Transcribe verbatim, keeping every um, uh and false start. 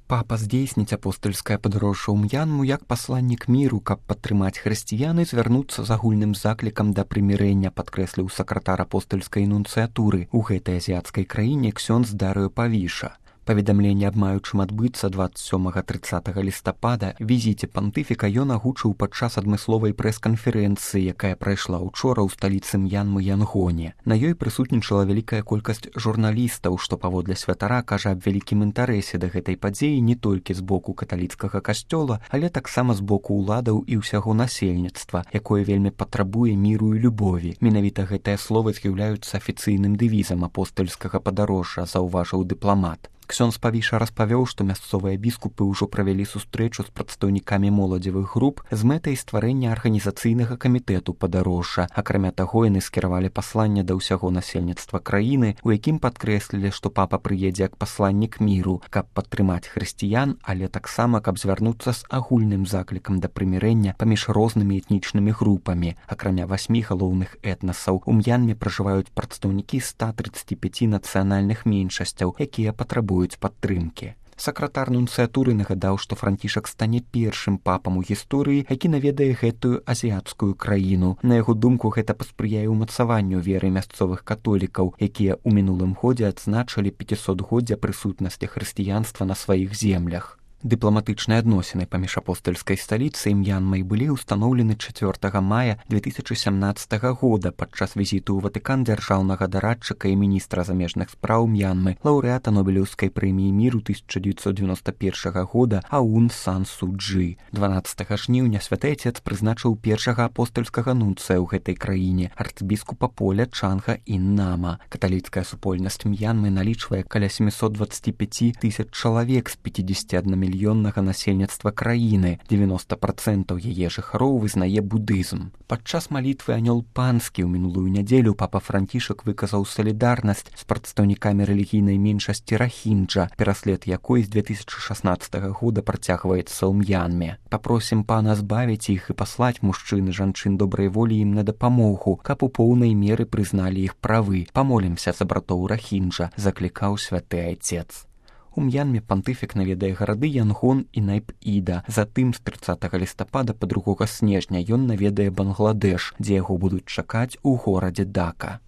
Папа здзейсніць апостальскае падарожжа ў М'янму як пасланнік міру, каб падтрымаць хрысціян і звярнуцца з агульным заклікам да прымірэння, падкрэсліў сакратар апостальскай нунцыятуры ў гэтай азіяцкай краіне ксёндз Дарыё Павіша. Паведамленне аб маючым адбыцца дваццаць сёмага - трыццатага лістапада візіце пантыфіка ён агучыў падчас адмысловай прэс-канферэнцыі, якая прайшла ўчора ў сталіцы М'янмы Янгоне. На ёй прысутнічала вялікая колькасць журналістаў, што паводле святара кажа аб вялікім інтарэсе да гэтай падзеі не толькі з боку каталіцкага касцёла, але таксама з боку ўладаў і ўсяго насельніцтва, якое вельмі патрабуе міру і любові. Менавіта гэтыя словы з'яўляюцца афіцыйным дэвізам апостальскага падарожжа, заўважыў дыпламат. Ксёндз Павіша распавёў, што мясцовыя біскупы ўжо правялі сустрэчу з прадстаўнікамі моладзевых груп з мэтай стварэння арганізацыйнага камітэту падарожжа. Акрамя таго, яны скіравалі пасланне да ўсяго насельніцтва краіны, у якім падкрэслілі, што папа прыедзе як пасланнік міру, каб падтрымаць хрысціян, але таксама каб звярнуцца з агульным заклікам да прымірэння паміж рознымі этнічнымі групамі. Акрамя васьмі галоўных этнасаў, у М'янме пражываюць прадстаўнікі ста трыццаці пяці нацыянальных меншасцяў, якія патрабуюць падтрымкі. Сакратар нунцыятуры нагадаў, што Францішак стане першым папам у гісторыі, які наведае гэтую азіяцкую краіну. На яго думку, гэта паспрыяе ўмацаванню веры мясцовых католікаў, якія ў мінулым годзе адзначылі пяцісотгоддзя прысутнасці хрысціянства на сваіх землях. Дыпламатычныя адносіны паміж апостальскай сталіцай і М'янмай былі ўстаноўлены чацвёртага мая две тысячы сямнаццатага года падчас візіту ў Ватыкан дзяржаўнага дарадчыка і міністра замежных спраў М'янмы, лаўрэата Нобелеўскай прэміі міру тысяча дзевяцьсот девяносто першага года Аун Сан Су Чжы. дванаццатага жніўня святы Ацец прызначыў першага апостальскага нунцыя ў гэтай краіне, арцыбіскупа Поля Чанга Ін-Нама. Каталіцкая супольнасць М'янмы налічвае каля сямсот дваццаць пяць тысяч чалавек з пяцідзесяці адной мільённага насельніцтва краіны, дзевяносто процентаў яе жыхароў вызнае будызм. Падчас малітвы анёл панскі ў мінулую нядзелю папа Францішак выказаў салідарнасць з прадстаўнікамі рэлігійнай меншасці рахінджа, пераслед якой з две тысячы шаснаццатага года працягваецца ў М'янме. Папросім пана збавіць іх і паслаць мужчын і жанчын добрай волі ім на дапамогу, каб у поўнай меры прызналі іх правы. Памолімся за братоў рахінджа, заклікаў святы Ацец. У М'янме пантыфік наведае гарады Янгон і Найп-Іда. Затым з трыццатага лістапада па другога снежня ён наведае Бангладэш, дзе яго будуць чакаць у горадзе Дака.